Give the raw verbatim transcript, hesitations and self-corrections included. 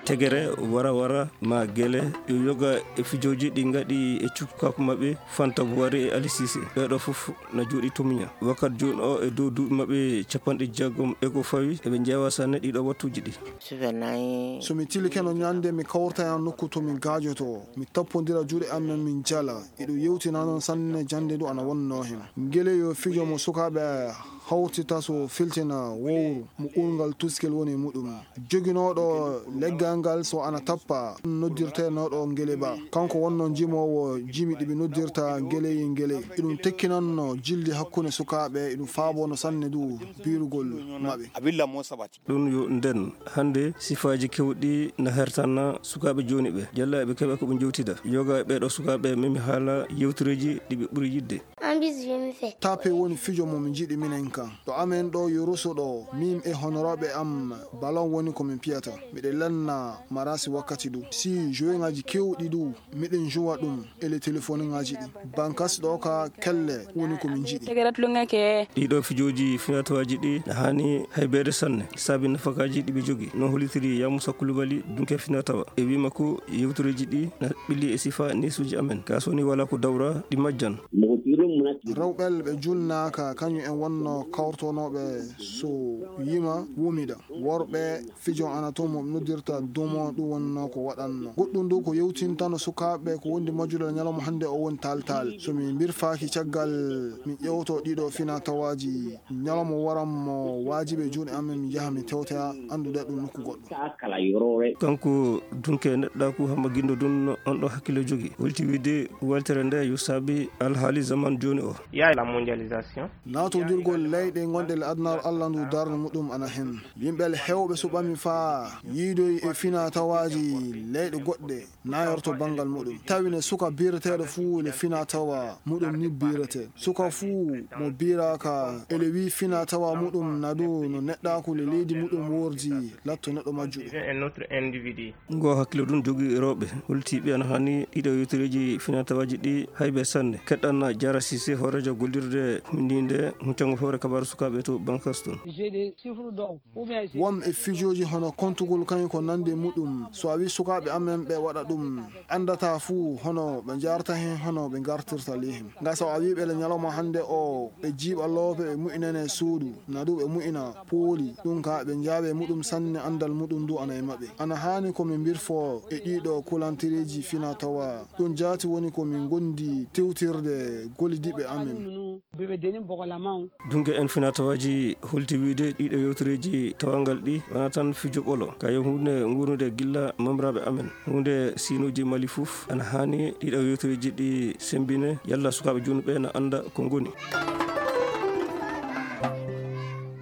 Tegere, wara wara, ma gele, yo yoga e fijooji ɗi ngaɗi e cukaaku maɓɓe, Fanta Buwari e Ali Sise. Ɓeeɗo fof na jooɗi to miña. Wakkati jooni o e dow duuɓi maɓɓe capanɗe jeegom e ko fawi, eɓe njeewa sanne ɗiɗo wattuuji ɗi. So mi tilikeno ñande mi kawrta e nokku to mi gaajoto, mi tappondira juuɗe am, min jala. Eɗum yewtina noon sanne jannde ndu ana wonnoo heen. Ngele yo fijo mo sukaaɓe hawtita so filtina wowru mo urngal tuskel woni muɗum. Joginooɗo leggal ngal so ana tappa noddirteenooɗo ngele ba. Kanko wonnoo jimoowo jimi ɗi ɓe noddirta ngeleyi ngele. Eɗum tekkinanno jilli hakkunde sukaaɓe, eɗum faabono sanne ndu biirugol maɓɓe. Ɗum yo nden, hannde sifaaji keewɗi na hertana sukaaɓe jooni ɓe. Jalla eɓe keɓa ko ɓe njewtida. Yoga e ɓeeɗo sukaaɓe memi haala yewtureeji ɗi ɓe ɓuri yiɗde. Tape woni fijo mo mi njiɗi minen kan. Ɗo amen ɗo yo Rosso ɗo, min e honoraaɓe am ballon woni ko min piyata. Miɗen lanna marasi wakkati du. Si joweŋaaji keewɗi du, miɗen jowa ɗum e le telefoniŋaaji ɗi. Bankas ɗo ka kelle woni ko min njiɗi. Ɗiɗo fijooji finatawaaji ɗi na haani haybeede sanne, saabi nafakaaji ɗi ɓe jogi. No hollitiri Yamusa Kulubali, dunke finatawa. E wii makko, yewtureeji ɗi na ɓilli e sifa neesuuji amen. Kaa so woni walaa ko dawra, ɗi majjan. Rewɓe ɓe julnaaka, kañum en wonno kawrtonooɓe so yima wumida. Worɓe fijo ana toon mo noddirta dumo, ɗum wonno ko waɗanno. Goɗɗum du ko yewtintano sukaaɓe ko wondi majjulal ñalawma hannde o woni taltal. So mi mbirfaaki caggal, mi ƴewto ɗiɗo finatawaaji, ñalawma waran mo waajibi e juuɗe amen, mi yaha mi tewtoya anndude ɗum nokku goɗɗo. Kanko dunke neɗɗaaku Hamma Gindo Dun on ɗo hakkille jogi. Holti wiide weltere nde yo saabi alhaali zaman jooni o. Naatondirgol leyɗe gonɗe le adunaaru Allah ndu darnde muɗum ana hen. Yimɓe le heewɓe suɓami faa yiidoyi e finatawaaji leyɗe goɗɗe naayorto banngal muɗum. Tawi ne suka biireteeɗo fuu le finatawa muɗum ni biirete. Suka fuu mo biiraaka ele wii finatawa muɗum na du no neɗɗaaku le leydi muɗum wordi latto neɗɗo majjuɗo. Ngo hakkille ɗum jogii rewɓe. Holti ɓe ana haani ɗiɗo yewtereeji finatawaaji ɗi haybe sanne. Keɗɗan Jara Sise, hooreejo gollirde hundiinde huccangol hoore kabaaru sukaaɓe to Bankas toon. Won e fijooji hono kontugol kañum ko nandi muɗum. So a wii sukaaɓe amen ɓe waɗa ɗum, anndata fuu hono ɓe njaarta heen, hono ɓe ngartirta ley heen. Nga so a wii ɓe le ñalawma hannde o, ɓe jiiɓa loope, ɓe mu'inane suudu, na du ɓe mu'ina pooli. Ɗum ka ɓe njaawe muɗum sanne, anndal muɗum du ana e maɓɓe. Ana haani ko min mbirfo e ɗiɗo kulantereeji fina tawa. Ɗum jaati woni ko min ngondi tewtirde gollidiiɓe amen. Dunke en finatawaaji holti wiide ɗiɗo yewtereeji tawangal ɗi wona tan fijo ɓolo. Ka yo huunde nguurnude gilla mamraaɓe amen. Huunde siinuuji Mali fof ana haani ɗiɗo yewtereeji ɗi semmbine yalla sukaaɓe junuɓe na annda ko ngoni.